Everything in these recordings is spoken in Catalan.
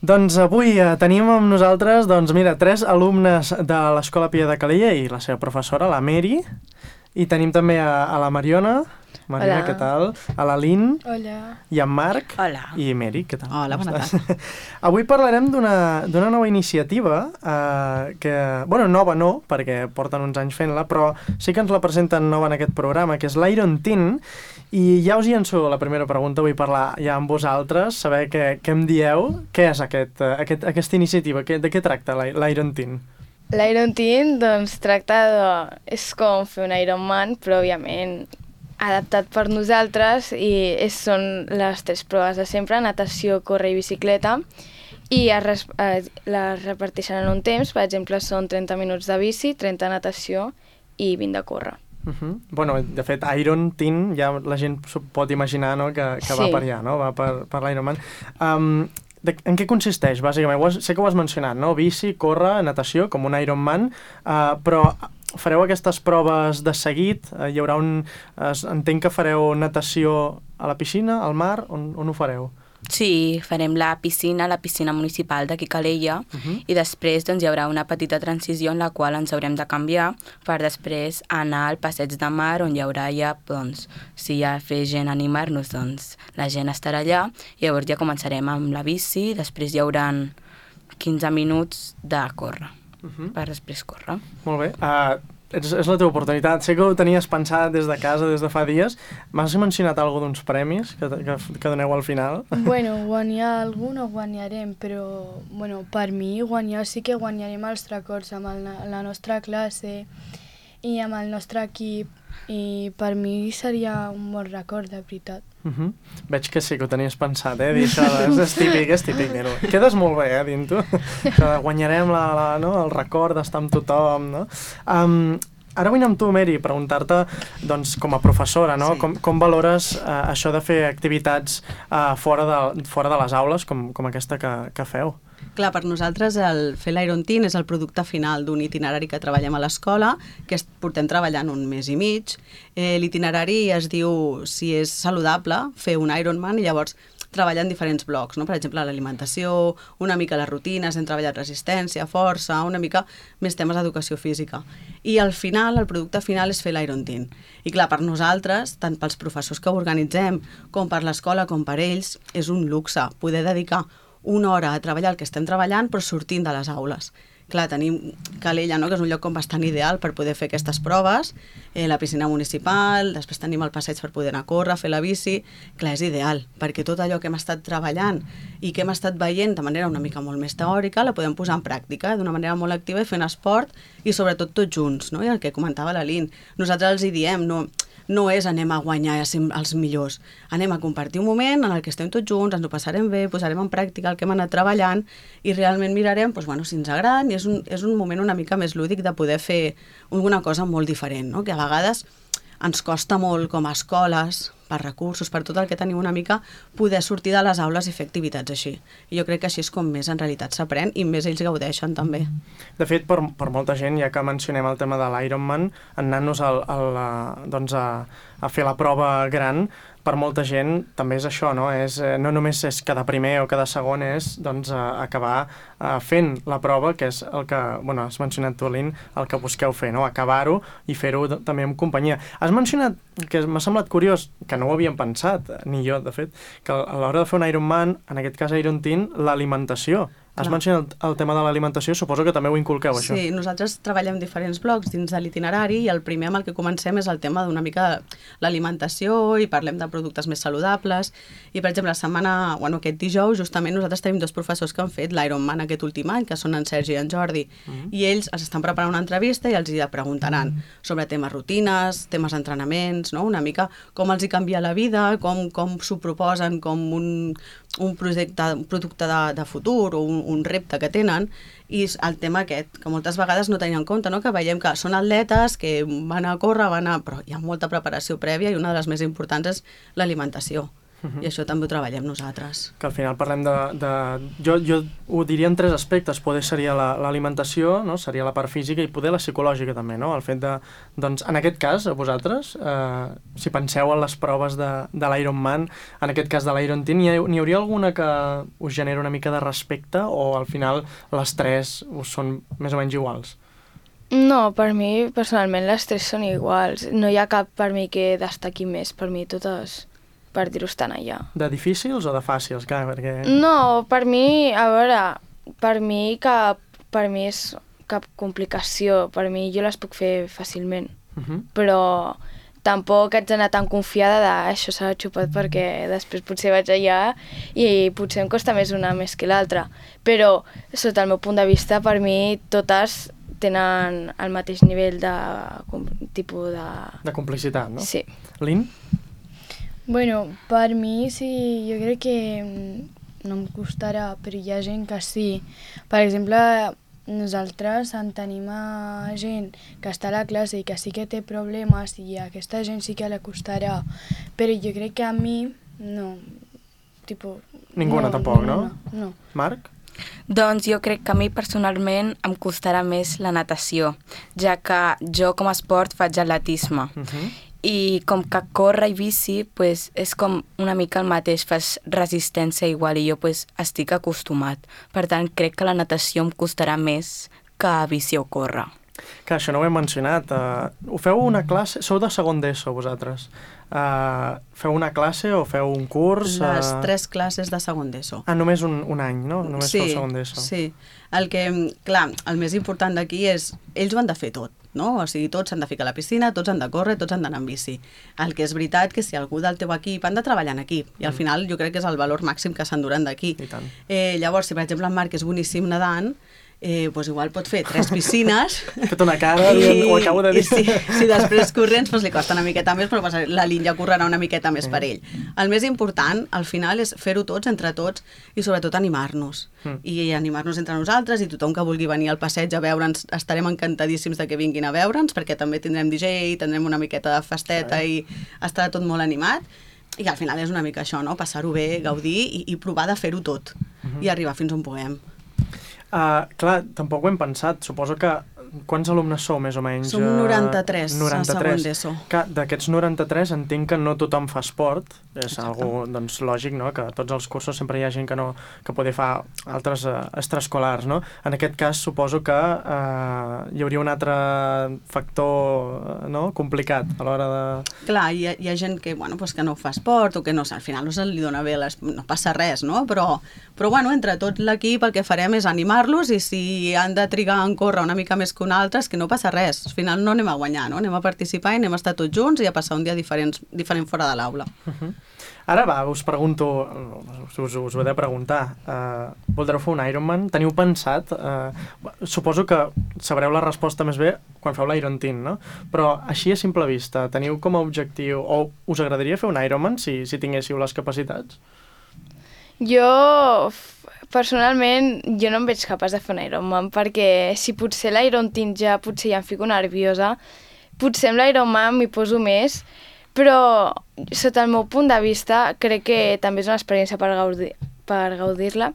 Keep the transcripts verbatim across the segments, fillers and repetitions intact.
Doncs avui eh, tenim amb nosaltres, doncs mira, tres alumnes de l'Escola Pia de Calella i la seva professora, la Mary, i tenim també a, a la Mariona. Mariona, Hola. què tal? A la Lynn. Hola. I en Marc. Hola. I Mary, què tal? Hola, bona tarda. Avui parlarem d'una d'una nova iniciativa eh, que, bueno, nova no, perquè porten uns anys fent-la, però sí que ens la presenten nova en aquest programa, que és l'Iron Tin, i ja us hi llenço la primera pregunta, vull parlar ja amb vosaltres, saber què, què em dieu, què és aquest, eh, aquest, aquesta iniciativa, què, de què tracta l'Iron Tin? L'Iron Tin, doncs, tracta de... és com fer un Ironman, però, òbviament, adaptat per nosaltres, i és, són les tres proves de sempre, natació, córrer i bicicleta, i es, res- eh, les reparteixen en un temps, per exemple, són trenta minuts de bici, trenta de natació i vint de córrer. Uh -huh. Bueno, de fet, Iron Tin, ja la gent s'ho pot imaginar, no?, que, que Sí. va per allà, no?, va per, per l'Ironman. Um, de, en què consisteix, bàsicament? Ho has, sé que ho has mencionat, no?, bici, córrer, natació, com un Ironman, uh, però fareu aquestes proves de seguit? Uh, hi haurà un... Uh, entenc que fareu natació a la piscina, al mar, on, on ho fareu? Sí, farem la piscina, la piscina municipal d'aquí a Calella, Uh -huh. i després doncs, hi haurà una petita transició en la qual ens haurem de canviar per després anar al passeig de mar, on hi haurà ja, doncs, si hi ha fer gent a animar-nos, doncs la gent estarà allà, i llavors ja començarem amb la bici, després hi haurà quinze minuts de córrer, Uh -huh. per després córrer. Molt bé. Uh, és, és la teva oportunitat. Sé que ho tenies pensat des de casa, des de fa dies. M'has mencionat alguna d'uns premis que, que, que doneu al final? Bueno, guanyar algun no guanyarem, però bueno, per mi guanyar sí que guanyarem els records amb el, la nostra classe i amb el nostre equip, i per mi seria un bon record, de veritat. Uh -huh. Veig que sí que ho tenies pensat, eh, dir això, és, és típic, és típic dir-ho. Quedes molt bé, eh, dient-ho. Això de guanyarem la, la, no, el record d'estar amb tothom, no? Um, ara vull anar amb tu, Mary, preguntar-te, doncs, com a professora, no? Sí. Com, com valores uh, això de fer activitats uh, fora, de, fora de les aules, com, com aquesta que, que feu? Clar, per nosaltres el fer l'Iron Tin és el producte final d'un itinerari que treballem a l'escola, que es, portem treballant un mes i mig. Eh, L'itinerari es diu si és saludable fer un Ironman, i llavors treballen diferents blocs, no? Per exemple, l'alimentació, una mica les rutines, hem treballat resistència, força, una mica més temes d'educació física. I al final, el producte final és fer l'Iron Tin. I clar, per nosaltres, tant pels professors que ho organitzem, com per l'escola, com per ells, és un luxe poder dedicar una hora a treballar el que estem treballant, però sortint de les aules. Clar, tenim Calella, no?, que és un lloc com bastant ideal per poder fer aquestes proves, eh, la piscina municipal, després tenim el passeig per poder anar a córrer, fer la bici. Clar, és ideal, perquè tot allò que hem estat treballant i que hem estat veient de manera una mica molt més teòrica, la podem posar en pràctica d'una manera molt activa i fent esport, i sobretot tots junts, no?, i el que comentava la Lynn. Nosaltres els hi diem, no... no és anem a guanyar i a ser els millors, anem a compartir un moment en el que estem tots junts, ens ho passarem bé, posarem en pràctica el que hem anat treballant, i realment mirarem, doncs, bueno, si ens agraden, i és un, és un moment una mica més lúdic de poder fer alguna cosa molt diferent, no? Que a vegades ens costa molt com a escoles, per recursos, per tot el que tenim una mica, poder sortir de les aules i fer activitats així. I jo crec que així és com més en realitat s'aprèn, i més ells gaudeixen també. De fet, per, per molta gent, ja que mencionem el tema de l'Ironman, anant-nos al, al, a, doncs a, a fer la prova gran, per molta gent també és això, no? És, eh, no només és cada primer o cada segon, és doncs, a, acabar a, fent la prova, que és el que, bueno, has mencionat tu, Lynn, el que busqueu fer, no? Acabar-ho i fer-ho també en companyia. Has mencionat, que m'ha semblat curiós, que no ho havíem pensat, ni jo, de fet, que a l'hora de fer un Ironman, en aquest cas Iron Tin, l'alimentació. Has Clar. mencionat el, el tema de l'alimentació, suposo que també ho inculqueu, això. Sí, nosaltres treballem diferents blocs dins de l'itinerari, i el primer amb el que comencem és el tema d'una mica l'alimentació, i parlem de productes més saludables. I, per exemple, la setmana, bueno, aquest dijous, justament nosaltres tenim dos professors que han fet l'Ironman aquest últim any, que són en Sergi i en Jordi, mm-hmm. i ells es estan preparant una entrevista i els hi preguntaran mm-hmm. sobre temes rutines, temes d'entrenaments, no? Una mica com els hi canvia la vida, com, com s'ho proposen com un, un projecte, un producte de, de futur, o un, un repte que tenen, i el tema aquest, que moltes vegades no tenim en compte, no? Que veiem que són atletes, que van a córrer, van a... però hi ha molta preparació prèvia, i una de les més importants és l'alimentació. Uh-huh. I això també ho treballem nosaltres. Que al final parlem de... de jo, jo ho diria en tres aspectes. Poder seria l'alimentació, la, no? Seria la part física, i poder la psicològica també, no? El fet de... Doncs, en aquest cas, a vosaltres, eh, si penseu en les proves de, de l'Ironman, en aquest cas de l'Iron Teen, n'hi hi hauria alguna que us genera una mica de respecte, o al final les tres us són més o menys iguals? No, per mi, personalment, les tres són iguals. No hi ha cap per mi que destaqui més. Per mi, totes... per dir-ho estan allà. De difícils o de fàcils? Clar, perquè... No, per mi, a veure, per mi cap, per mi és cap complicació. Per mi jo les puc fer fàcilment. Uh-huh. Però tampoc haig d'anar tan confiada de això s'ha xupat, perquè després potser vaig allà i potser em costa més una més que l'altra. Però, sota el meu punt de vista, per mi totes tenen el mateix nivell de tipus de... De complicitat, no? Sí. Lynn? Bueno, per mi sí, jo crec que no em costarà, però hi ha gent que sí. Per exemple, nosaltres en tenim a gent que està a la classe i que sí que té problemes, i a aquesta gent sí que la costarà, però jo crec que a mi no. Tipo, Ninguna no, tampoc, no? No, no. Marc? Doncs jo crec que a mi personalment em costarà més la natació, ja que jo com a esport faig atletisme. Uh-huh. I com que córrer i bici pues, és com una mica el mateix, fas resistència igual, i jo pues, estic acostumat. Per tant, crec que la natació em costarà més que bici o córrer. Que això no ho hem mencionat. Uh, ho feu una classe... Sou de segon d'ESO, vosaltres. Uh, feu una classe o feu un curs? Uh... Les tres classes de segon d'ESO. Ah, només un, un any, no? Només sí, feu segon d'ESO. Sí, el que, clar, el més important d'aquí és, ells ho han de fer tot, no? O sigui, tots s'han de ficar a la piscina, tots han de córrer, tots han d'anar en bici. El que és veritat que si algú del teu equip han de treballar en equip, i al final jo crec que és el valor màxim que s'enduran d'aquí. Eh, llavors, si per exemple en Marc és boníssim nedant, eh, doncs igual pot fer tres piscines. Fet una cara, i, ho acabo de dir. I si, si després corrents doncs li costa una miqueta més, però la Lynn ja correrà una miqueta més mm. per ell. El més important, al final, és fer-ho tots, entre tots, i sobretot animar-nos. Mm. I animar-nos entre nosaltres, i tothom que vulgui venir al passeig a veure'ns, estarem encantadíssims de que vinguin a veure'ns, perquè també tindrem D J, tindrem una miqueta de festeta i estarà tot molt animat. I al final és una mica això, no? Passar-ho bé, gaudir i, i provar de fer-ho tot. Mm-hmm. I arribar fins on puguem. Uh, clar, tampoc ho hem pensat. Suposo que... Quants alumnes sou, més o menys? Som noranta-tres, noranta-tres. a segon d'ESO. D'aquests noranta-tres entenc que no tothom fa esport. És algo, doncs, lògic, no? Que a tots els cursos sempre hi ha gent que no que poder fa altres uh, extraescolars, no? En aquest cas suposo que uh, hi hauria un altre factor, no? Complicat a l'hora de... Clar, hi ha, hi ha gent que, bueno, pues que no fa esport o que no, al final no se li dona bé, les, no passa res, no? Però, però bueno, entre tot l'equip el que farem és animar-los, i si han de trigar en córrer una mica més que un altre, és que no passa res. Al final no anem a guanyar, no? Anem a participar i anem a estar tots junts i a passar un dia diferent, diferent fora de l'aula. Uh-huh. Ara va, us pregunto, us, us ho he de preguntar, uh, voldreu fer un Ironman? Teniu pensat? Uh, suposo que sabreu la resposta més bé quan feu l'Iron Teen, no? Però així a simple vista, teniu com a objectiu, o us agradaria fer un Ironman si, si tinguéssiu les capacitats? Jo, personalment, jo no em veig capaç de fer un Ironman, perquè si potser l'Iron Teen ja potser ja em fico nerviosa, potser amb l'Ironman m'hi poso més, però sota el meu punt de vista crec que també és una experiència per gaudir, per gaudir-la,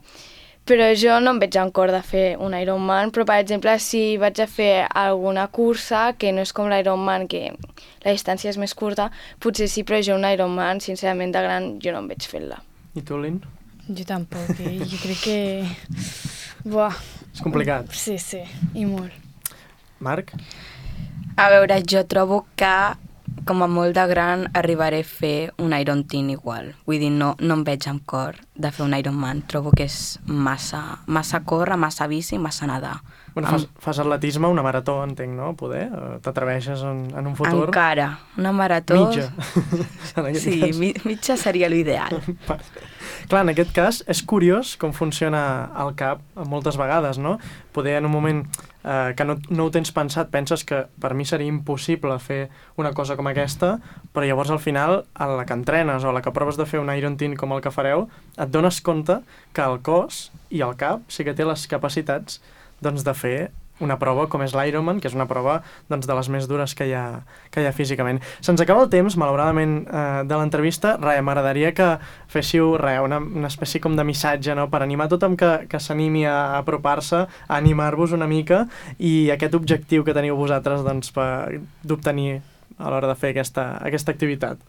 però jo no em veig en cor de fer un Ironman, però per exemple si vaig a fer alguna cursa que no és com l'Ironman, que la distància és més curta, potser sí, però jo un Ironman, sincerament, de gran, jo no em veig fent-la. I tu, Lynn? Jo tampoc, eh? Jo crec que... Buah. És complicat. Sí, sí, i molt. Marc? A veure, jo trobo que com a molt de gran arribaré a fer un Iron Teen igual. Vull dir, no, no em veig amb cor de fer un Ironman. Trobo que és massa, massa córrer, massa bici, massa nedar. Bueno, fas, fas atletisme, una marató, entenc, no? Poder? T'atreveixes en, en un futur? Encara. Una marató... Mitja. Sí, mi, mitja seria l'ideal. Clar, en aquest cas és curiós com funciona el cap moltes vegades, no? Poder en un moment eh, que no, no ho tens pensat, penses que per mi seria impossible fer una cosa com aquesta, però llavors al final, a la que entrenes o a la que proves de fer un Iron Teen com el que fareu, et dones compte que el cos i el cap sí que té les capacitats doncs, de fer una prova com és l'Ironman, que és una prova doncs, de les més dures que hi ha, que hi ha físicament. Se'ns acaba el temps, malauradament, eh, de l'entrevista. Rai, m'agradaria que féssiu rai, una, una espècie com de missatge, no?, per animar tothom que, que s'animi a apropar-se, a animar-vos una mica, i aquest objectiu que teniu vosaltres doncs, per d'obtenir a l'hora de fer aquesta, aquesta activitat.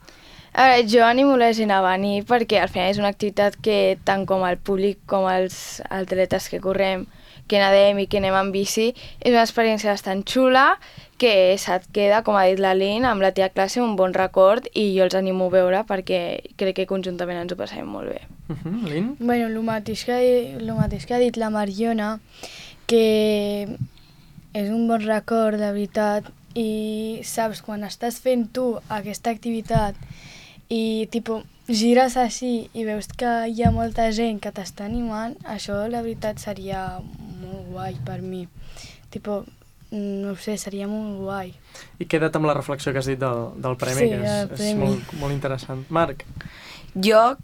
A veure, jo animo la gent a venir perquè al final és una activitat que tant com el públic com els atletes que correm, que nedem i que anem en bici, és una experiència bastant xula que se't queda, com ha dit la Lynn, amb la teva classe un bon record i jo els animo a veure perquè crec que conjuntament ens ho passem molt bé. Uh-huh. Lynn? Bueno, el mateix que, el mateix que ha dit la Mariona, que és un bon record, de veritat, i saps, quan estàs fent tu aquesta activitat i tipo, gires així i veus que hi ha molta gent que t'està animant, això la veritat seria molt guai per mi. Tipo, no ho sé, seria molt guai. I queda't amb la reflexió que has dit del, del premi, Sí, que és, el és premi. molt, molt interessant. Marc? Jo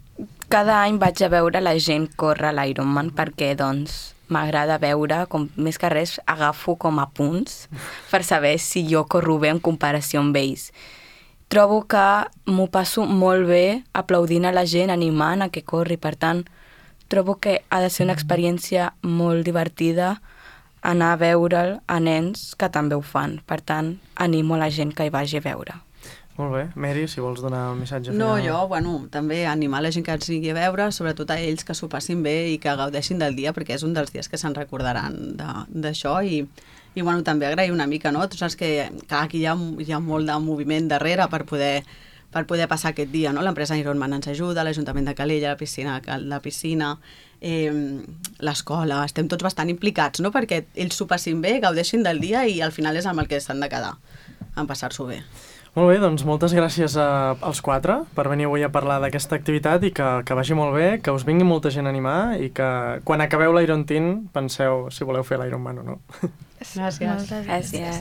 cada any vaig a veure la gent córrer l'Ironman perquè, doncs, m'agrada veure, com més que res, agafo com a punts per saber si jo corro bé en comparació amb ells. Trobo que m'ho passo molt bé aplaudint a la gent, animant a que corri. Per tant, trobo que ha de ser una experiència molt divertida anar a veure'l a nens que també ho fan. Per tant, animo a la gent que hi vagi a veure. Molt bé. Mary, si vols donar un missatge final. No, jo, bueno, també animar la gent que ens vingui a veure, sobretot a ells que s'ho passin bé i que gaudeixin del dia, perquè és un dels dies que se'n recordaran d'això i, i bueno, també agrair una mica, no? Tu saps que, que aquí hi ha, hi ha molt de moviment darrere per poder, per poder passar aquest dia, no? L'empresa Ironman ens ajuda, l'Ajuntament de Calella, la piscina, la piscina, eh, l'escola, estem tots bastant implicats, no? Perquè ells s'ho passin bé, gaudeixin del dia i al final és amb el que s'han de quedar, en passar-s'ho bé. Molt bé, doncs moltes gràcies a, als quatre per venir avui a parlar d'aquesta activitat i que, que vagi molt bé, que us vingui molta gent a animar i que quan acabeu l'Iron Teen penseu si voleu fer l'Ironman o no. Gràcies. Moltes gràcies. Gràcies.